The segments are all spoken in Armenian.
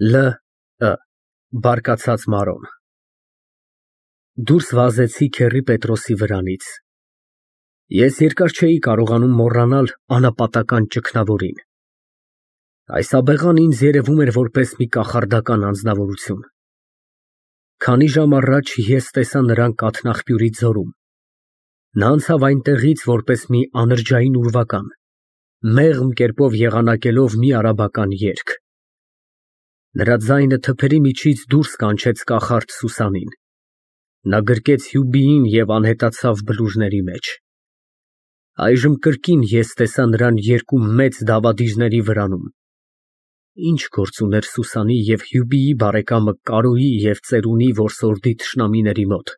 Լ. Բարկացած Մարոն Դուրս վազեցի Քեռի Պետրոսի վրանից։ Ես երկար չէի կարողանում մոռանալ անապատական ճգնավորին։ Այս աբեղան ինձ երևում էր որպես մի կախարդական անձնավորություն։ Քանի ժամ առաջ ես տեսա նրան կաթնաղբյուրի ձորում։ Նա անցավ այնտեղից որպես մի անրջային ուրվական, մեղմ կերպով եղանակելով մի արաբական երգ։ Նրա ձայնը թփերի միջից դուրս կանչեց կախարդ Սուսանին։ Նա գրկեց հյուբիին և անհետացավ բլուրների մեջ։ Այժմ կրկին ես տեսա նրան երկու մեծ դավադիրների վրանում։ Ինչ գործ ուներ Սուսանի և հյուբիի բարեկամը Կարոյի և ծերունի որսորդի թշնամիների մոտ,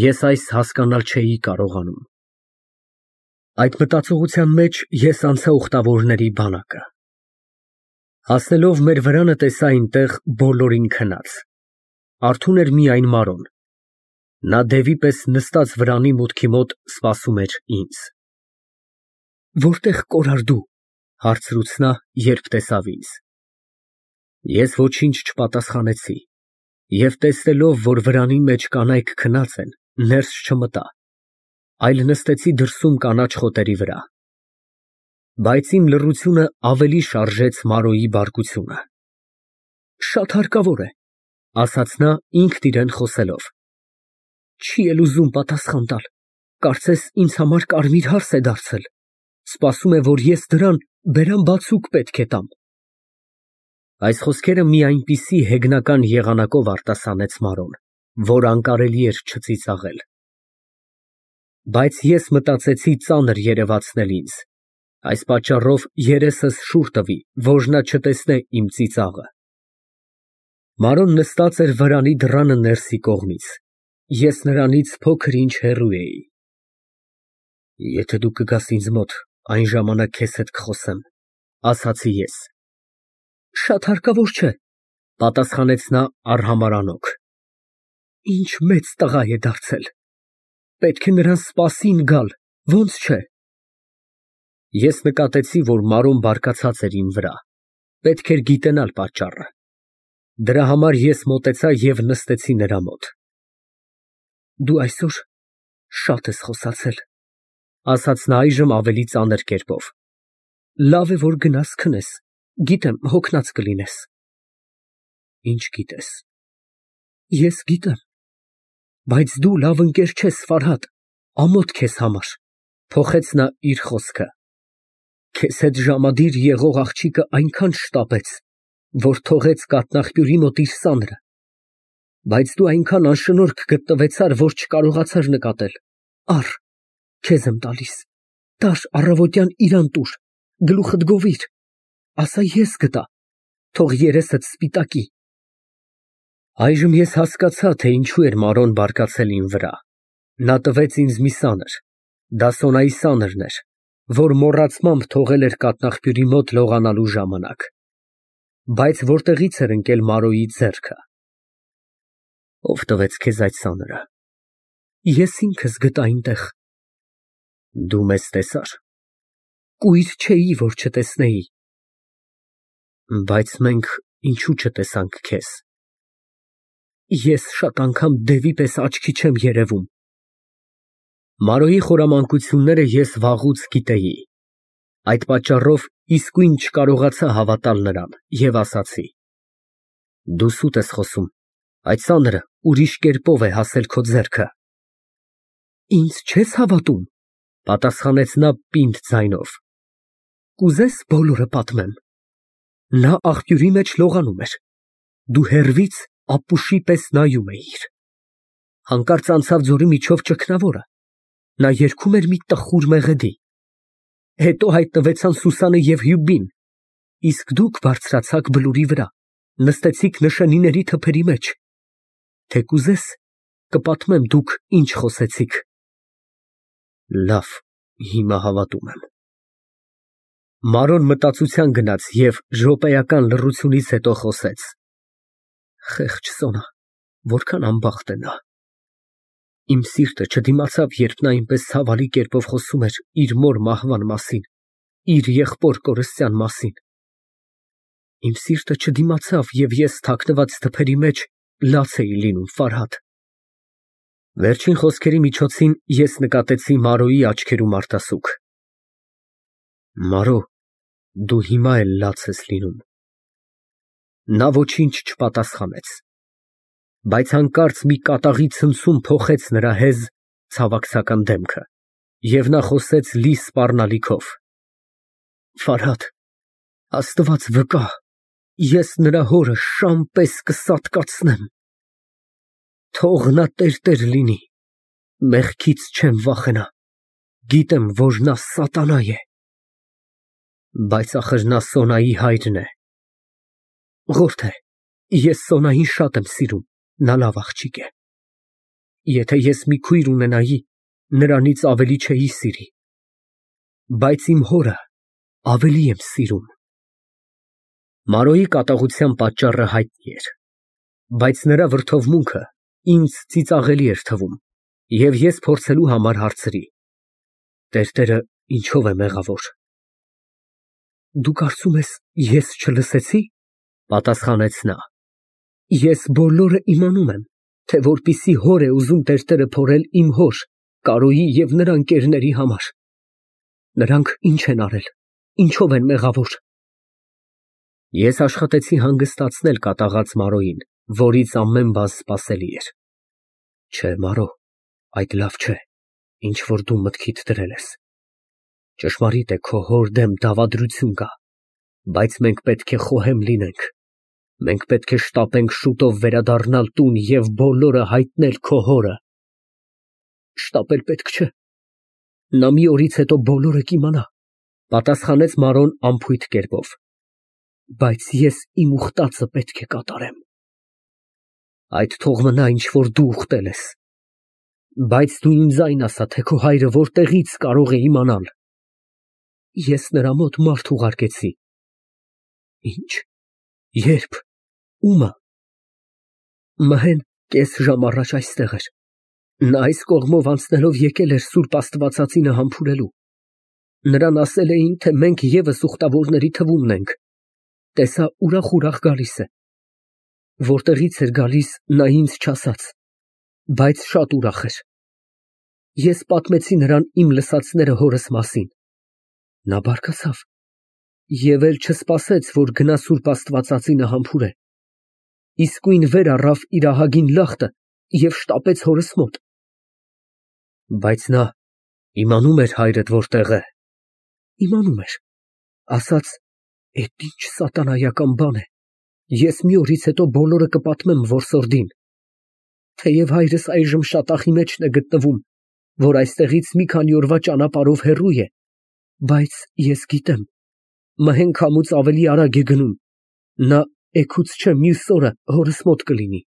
ես այս հասկանալ չէի կարողանում։ Այդ մտածողության մեջ ես անցա ուխտավորների բանակը։ Հասնելով մեր վրանը տեսա այնտեղ բոլորին քնած։ Արթուն էր միայն Մարոն։ Նա դևի պես նստած վրանի մուտքի մոտ սպասում էր ինձ։ Որտե՞ղ կորար դու, հարցրուց նա, երբ տեսավ ինձ։ Ես ոչինչ չպատասխանեցի և տեսնելով, որ վրանի մեջ կանայք քնած են, ներս չմտա, այլ նստեցի դրսում կանաչ խոտերի վրա։ Բայց իմ լռությունը ավելի շարժեց Մարոյի բարկությունը։ Շատ հարկավոր է, ասաց նա ինքն իրան խոսելով։ Չի էլ ուզում պատասխան տալ, կարծես ինձ համար կարմիր հարս է դարձել, սպասում է, որ ես դրան բերան բացուկ պետք է տամ։ Այս խոսքերը մի այնպիսի հեգնական եղանակով արտասանեց Մարոն, որ անկարելի էր չծիծաղել։ Բայց ես մտածեցի ծանր երևացնել ինձ, այս պատճառով երեսս շուռ տվի, որ նա չտեսնե իմ ծիծաղը։ Մարոն նստած էր վրանի դռանը ներսի կողմից, ես նրանից փոքր ինչ հեռու էի։ Եթե դու կգաս ինձ մոտ, այն ժամանակ քեզ հետ կխոսեմ, ասացի ես։ Շատ հարկավոր չէ, պատասխանեց նա արհամարհանոք։ Ինչ մեծ տղա է դարձել, պետք է նրան սպասին գալ, ոնց չէ։ Ես նկատեցի, որ Մարոն բարկացած էր իմ վրա, պետք էր գիտենալ պատճառը։ Դրա համար ես մոտեցա և նստեցի նրա մոտ։ Դու այսօր շատ ես խոսացել, ասաց նա այժմ ավելի ծանր կերպով։ Լավ է, որ գնաս քնես, գիտեմ հոգնած կլինես։ Ինչ գիտես։ Ես գիտեմ, բայց դու լավ ընկեր չես, Ֆարհադ, ամոթ քեզ համար, փոխեց նա իր խոսքը։ Քեզ հետ ժամադիր եղող աղջիկը այնքան շտապեց, որ թողեց կաթնաղբյուրի մոտ իր սանրը, բայց դու այնքան անշնորհք գտնվեցար, որ չկարողացար նկատել։ Առ, քեզ եմ տալիս, տար առավոտյան իրան տուր, գլուխդ գովիր, ասա ես գտա, թող երեսդ սպիտակի։ Այժմ ես հասկացա, թե ինչու էր Մարոն բարկացել իմ վրա։ Նա տվեց ինձ մի սանր, դա Սոնայի սանրն էր, որ մոռացմամբ թողել էր կաթնաղբյուրի մոտ լողանալու ժամանակ։ Բայց որտեղից էր ընկել Մարոյի ձեռքը։ Ով տվեց քեզ այդ սանրը։ Ես ինքս գտա այնտեղ։ Դու մեզ տեսար։ Կույր չէի, որ չտեսնեի։ Բայց մենք ինչու չտեսանք քեզ։ Ես շատ անգամ դևի պես աչքի չեմ երևում։ Մարոյի խորամանկությունները ես վաղուց գիտեի։ Այդ պատճառով իսկույն չկարողացա հավատալ նրան և ասացի. Դու սուտ ես խոսում, այդ սանրը ուրիշ կերպով է հասել քո ձեռքը։ Ինձ չես հավատում, պատասխանեց նա պինդ ձայնով։ Կուզես բոլորը պատմեմ։ Նա աղբյուրի մեջ լողանում էր, դու հեռվից ապուշի պես նայում էիր։ Հանկարծ անցավ ձորի միջով ճգնավորը, նա երգում էր մի տխուր մեղեդի։ Հետո հայտնվեցան Սուսանը և Հյուբին, իսկ դուք բարձրացաք բլուրի վրա, նստեցիք նշանիների թփերի մեջ։ Թե կուզես, կպատմեմ դուք ինչ խոսեցիք։ Լավ, հիմա հավատում եմ։ Մարոն մտածության գնաց և րոպեական լռությունից հետո խոսեց. Խեղճ Սոնա, որքան անբախտ է նա։ Իմ սիրտը չդիմացավ, երբ նա այնպես ցավալի կերպով խոսում էր իր մոր մահվան մասին, իր եղբոր կորստյան մասին։ Իմ սիրտը չդիմացավ և ես թաքնված թփերի մեջ լաց էի լինում, Ֆարհադ։ Վերջին խոսքերի միջոցին ես նկատեցի Մարոյի աչքերում արտասուք։ Մարո, դու հիմա էլ լաց ես լինում։ Նա ոչինչ չպատասխանեց, բայց հանկարծ մի կատաղի ցնցում փոխեց նրա հեզ, ցավակցական դեմքը, և նա խոսեց լի սպառնալիքով. Ֆարհադ, Աստված վկա, ես նրա հորը շան պես կսատկացնեմ։ Թող նա տերտեր լինի, մեղքից չեմ վախենա, գիտեմ, որ նա սատանա է։ Բայց ախր նա Սոնայի հայրն է։ Ղորթե, ես Սոնային շատ եմ սիրում, նա լավ աղջիկ է։ Եթե ես մի քույր ունենայի, նրանից ավելի չէի սիրի, բայց իմ հորը ավելի եմ սիրում։ Մարոյի կատաղության պատճառը հայտնի էր, բայց նրա վրդովմունքը ինձ ծիծաղելի էր թվում, և ես փորձելու համար հարցրի. տերտերը ինչով է մեղավոր։ Դու կարծում ես, ես չլսեցի, պատասխանեց նա։ Ես բոլորը իմանում եմ, թե որպիսի հոր է ուզում տերտերը փորել իմ հոր, Կարոյի և նրա ընկերների համար։ Նրանք ինչ են արել, ինչով են մեղավոր։ Ես աշխատեցի հանգստացնել կատաղած Մարոյին, որից ամեն բան սպասելի էր։ Չէ, Մարո, այդ լավ չէ, ինչ որ դու մտքիդ դրել ես։ Ճշմարիտ է, քո հոր դեմ դավադրություն կա, բայց մենք պետք է խոհեմ լինենք։ Մենք պետք է շտապենք շուտով վերադառնալ տուն և բոլորը հայտնել քո հորը։ Շտապել պետք չէ։ Նա մի օրից հետո բոլորը կիմանա, պատասխանեց Մարոն անփույթ կերպով։ Բայց ես իմ ուխտածը պետք է կատարեմ։ Այդ թող մնա, ինչ որ դու ուխտել ես։ Բայց դու ինձ այն ասա, թե քո հայրը որտեղից կարող է իմանալ։ Ես նրա մոտ մարդ ուղարկեցի։ Ինչ, երբ, ո՞ւմը։ Մհեն կես ժամ առաջ այստեղ էր։ Նա այս կողմով անցնելով եկել էր Սուրբ Աստվածածինը համբուրելու։ Նրան ասել էին, թե մենք ևս ուխտավորների թվումն ենք։ Տեսա ուրախ գալիս է։ Որտեղից էր գալիս, նա ինձ չասաց, բայց շատ ուրախ էր։ Ես պատմեցի նրան իմ լսածները հորս մասին։ Նա բարկացավ և էլ չսպասեց, որ գնա Սուրբ Աստվածածինը համբուրե։ Իսկույն վեր առավ իր ահագին լախտը և շտապեց հորս մոտ։ Բայց նա իմանում էր հայրդ որտեղ է։ Իմանում էր, ասաց, էդ ինչ սատանայական բան է, ես մի օրից հետո բոլորը կպատմեմ որսորդին։ Թեև հայրս այժմ շատախի մեջն է գտնվում, որ այստեղից մի քանի օրվա ճանապարհով հեռու է, բայց ես գիտեմ, Մհեն քամուց ավելի արագ է գնում, նա էգուց չէ մյուս օրը հորս մոտ կլինի։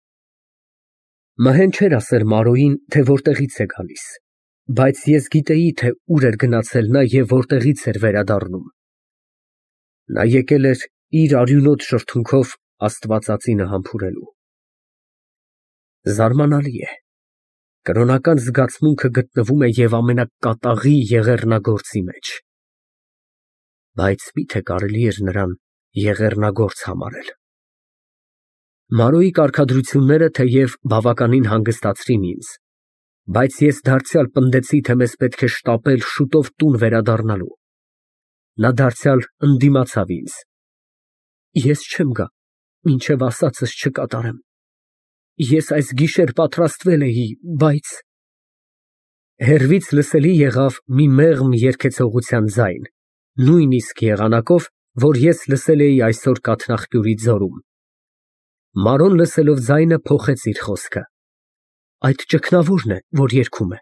Մհեն չէր ասել Մարոյին, թե որտեղից է գալիս, բայց ես գիտեի, թե ուր էր գնացել նա և որտեղից էր վերադառնում։ Նա եկել էր իր արյունոտ շրթունքով Աստվածածինը համբուրելու։ Զարմանալի է, կրոնական զգացմունքը գտնվում է և ամենակատաղի եղեռնագործի մեջ։ Բայց մի՞թե կարելի էր նրան եղեռնագործ համարել։ Մարոյի կարգադրությունները թեև բավականին հանգստացրին ինձ, բայց ես դարձյալ պնդեցի, թե մեզ պետք է շտապել շուտով տուն վերադառնալու։ Նա դարձյալ ընդդիմացավ ինձ։ Ես չեմ գա, մինչև ասածս չկատարեմ։ Ես այս գիշեր պատրաստվել էի, բայց… Հեռվից լսելի եղավ մի մեղմ երգեցողության ձայն, նույնիսկ եղանակով, որ ես լսել էի այսօր կաթնաղբյուրի ձորում։ Մարոն լսելով ձայնը փոխեց իր խոսքը։ Այդ ճգնավորն է, որ երգում է,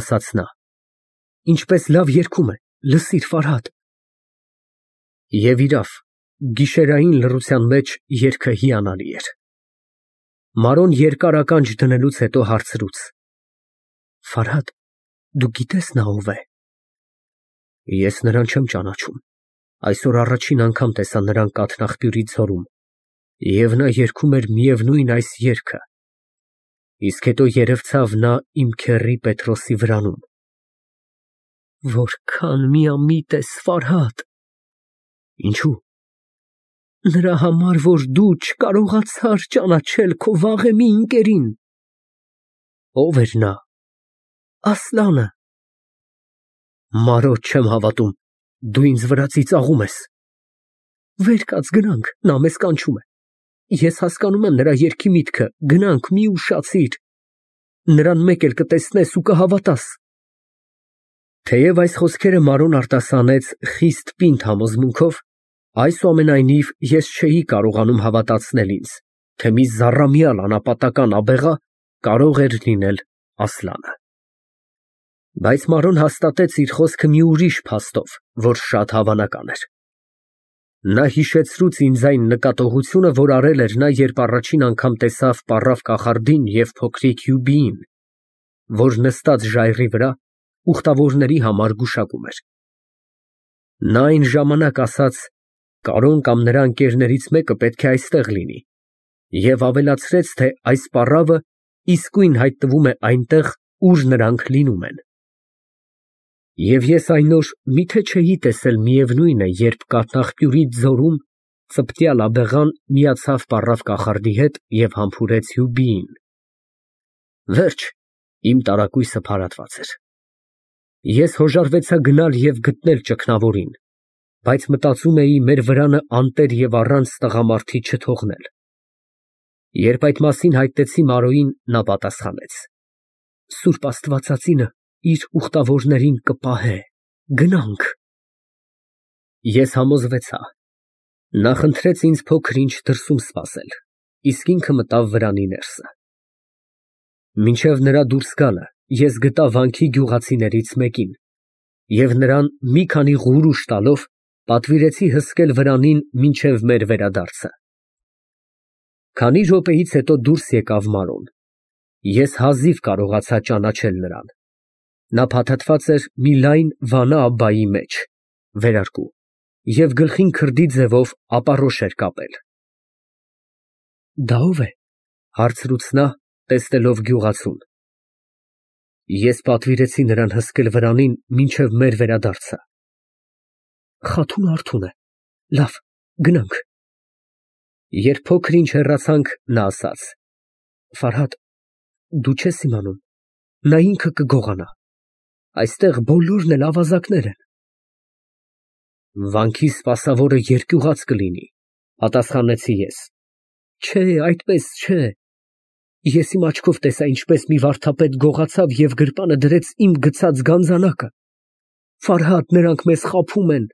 ասաց նա։ Ինչպես լավ երգում է, լսիր, Ֆարհադ։ Եվ իրավ, գիշերային լռության մեջ երգը հիանալի էր։ Մարոն երկար ականջ դնելուց հետո հարցրուց. Ֆարհադ, դու գիտես նա ով է։ Ես նրան չեմ ճանաչում։ Այսօր առաջին անգամ տեսա նրան կաթնաղբյուրի ձորում, և նա երգում էր միևնույն այս երգը։ Իսկ հետո երևցավ նա իմ քեռի Պետրոսի վրանում։ Որքան միամիտ ես, Ֆարհադ։ Ինչո՞ւ։ Նրա համար, որ դու չկարողացար ճանաչել քո վաղեմի ընկերին։ Ո՞վ էր նա։ Ասլանը։ Մարո, չեմ հավատում, դու ինձ վրա ծիծաղում ես։ Վեր կաց գնանք, նա մեզ կանչում է։ Ես հասկանում եմ նրա երգի միտքը, գնանք, մի ուշացիր։ Նրան մեկ էլ կտեսնես ու կհավատաս։ Թեև այս խոսքերը Մարոն արտասանեց խիստ պինդ համոզմունքով, այսուամենայնիվ ես չէի կարողանում հավատացնել ինձ, թե մի զառամյալ անապատական աբեղա կարող էր լինել Ասլանը։ Բայց Մարոն հաստատեց իր խոսքը մի ուրիշ փաստով, որ շատ հավանական էր։ Նա հիշեցրուց ինձ այն նկատողությունը, որ արել էր նա, երբ առաջին անգամ տեսավ պառավ կախարդին և փոքրիկ Յուբիին, որ նստած ժայռի վրա ուխտավորների համար գուշակում էր։ Նա այն ժամանակ ասաց. «Կարոն կամ նրա ընկերներից մեկը պետք է այստեղ լինի» և ավելացրեց, թե այս պառավը իսկույն հայտնվում է այնտեղ, ուր նրանք լինում են։ Եվ ես այն օր միթե չէի տեսել միևնույն է, երբ կաթնաղբյուրի ձորում ծպտյալ աբեղան միացավ պառավ կախարդի հետ և համբուրեց Յուբիին։ Վերջ, իմ տարակույսը փարատված էր։ Ես հոժարվեցա գնալ և գտնել ճգնավորին, բայց մտածում էի մեր վրանը անտեր և առանց տղամարդի չթողնել։ Երբ այդ մասին հայտնեցի Մարոյին, նա պատասխանեց. «Սուրբ Աստվածածինը իր ուխտավորներին կպահե, գնանք»։ Ես համոզվեցա։ Նա խնդրեց ինձ փոքր ինչ դրսում սպասել, իսկ ինքը մտավ վրանի ներսը։ Մինչև նրա դուրս գալը ես գտա վանքի գյուղացիներից մեկին և նրան մի քանի ղուրուշ տալով պատվիրեցի հսկել վրանին մինչև մեր վերադարձը։ Քանի րոպեից հետո դուրս եկավ Մարոն։ Ես հազիվ կարողացա ճանաչել նրան։ Նա փաթաթված էր մի լայն վանա աբայի մեջ, վերարկու, և գլխին քրդի ձևով ապարոշ էր կապել։ «Դա ո՞վ է», հարցրուց նա, տեսնելով գյուղացուն։ Ես պատվիրեցի նրան հսկել վրանին մինչև մեր վերադարձը։ Խաթուն Արթուն է։ Լավ, գնանք։ Երբ փոքր ինչ հեռացանք, նա ասաց. «Ֆարհադ, դու չես իմանում, նա ինքը կգողանա։ Այստեղ բոլորն էլ ավազակներ են»։ Վանքի սպասավորը երկյուղած կլինի, պատասխանեցի ես։ Չէ, այդպես չէ։ Ես իմ աչքով տեսա, ինչպես մի վարդապետ գողացավ և գրպանը դրեց իմ գցած գանձանակը։ Ֆարհադ, նրանք մեզ խաբում են։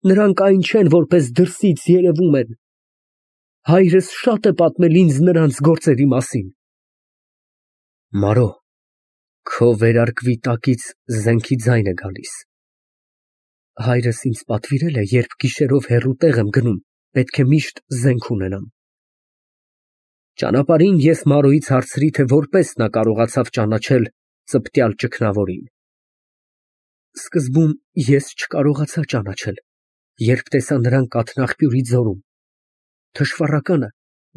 Նրանք այն չեն, որպես դրսից երևում են։ Հայրս շատ է պատմել ինձ նրանց գործերի մասին։ Մարո, քո վերարկվի տակից զենքի ձայն է գալիս։ Հայրս ինձ պատվիրել է, երբ գիշերով հեռու տեղ եմ գնում, պետք է միշտ զենք ունենամ։ Ճանապարհին ես Մարոյից հարցրի, թե որպես նա կարողացավ ճանաչել ծպտյալ ճգնավորին։ Սկզբում ես չկարողացա ճանաչել, երբ տեսա նրան կաթնաղբյուրի ձորում։ Թշվառականը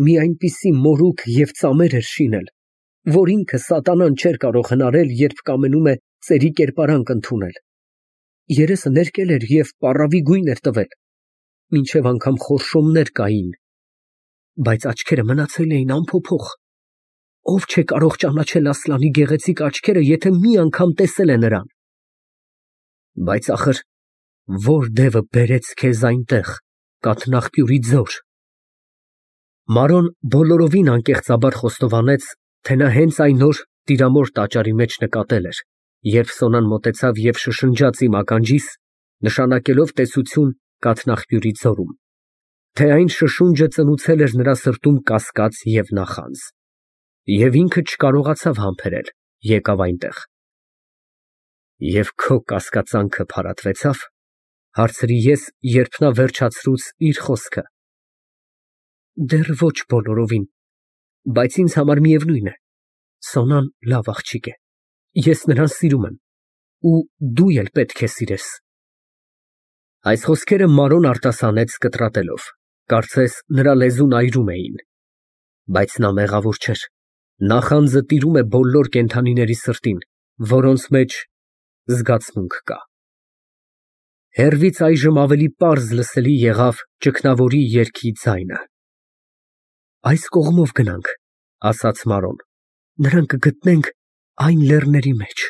մի այնպիսի մորուք և ծամեր էր շինել, որ ինքը սատանան չէր կարող հնարել, երբ կամենում է ծերի կերպարանք ընդունել։ Երեսը ներկել էր և պառավի գույն էր տվել, մինչև անգամ խորշոմներ կային, բայց աչքերը մնացել էին անփոփոխ։ Ով չէ կարող ճանաչել Ասլանի գեղեցիկ աչքերը, եթե մի անգամ տեսել է նրան։ Բայց ախր ո՞ր դևը բերեց քեզ այնտեղ, կաթնաղբյուրի ձոր։ Մարոն բոլորովին անկեղծաբար խոստովանեց, թե նա հենց այն օր տիրամոր տաճարի մեջ նկատել էր, երբ Սոնան մոտեցավ և շշնջաց իմ ականջիս, նշանակելով տեսություն կաթնաղբյուրի ձորում, թե այն շշունջը ծնուցել էր նրա սրտում կասկած և նախանձ, և ինքը չկարողացավ համբերել, եկավ այնտեղ։ Եվ քո կասկածանքը փարատվեցա՞վ, հարցրի ես, երբ նա վերջացրուց իր խոսքը։ Դեռ ոչ բոլորովին, բայց ինձ համար միևնույն է, Սոնան լավ աղջիկ է, ես նրան սիրում եմ, ու դու էլ պետք է սիրես։ Այս խոսքերը Մարոն արտասանեց կտրատելով, կարծես նրա լեզուն այրում էին, բայց նա մեղավոր չէր, նախանձը տիրում է բոլոր կենդանիների սրտին, որոնց մեջ զգացմունք կա։ Հեռվից այժմ ավելի պարզ լսելի եղավ ճգնավորի երգի ձայնը։ Այս կողմով գնանք, ասաց Մարոն, նրան կգտնենք այն լեռների մեջ։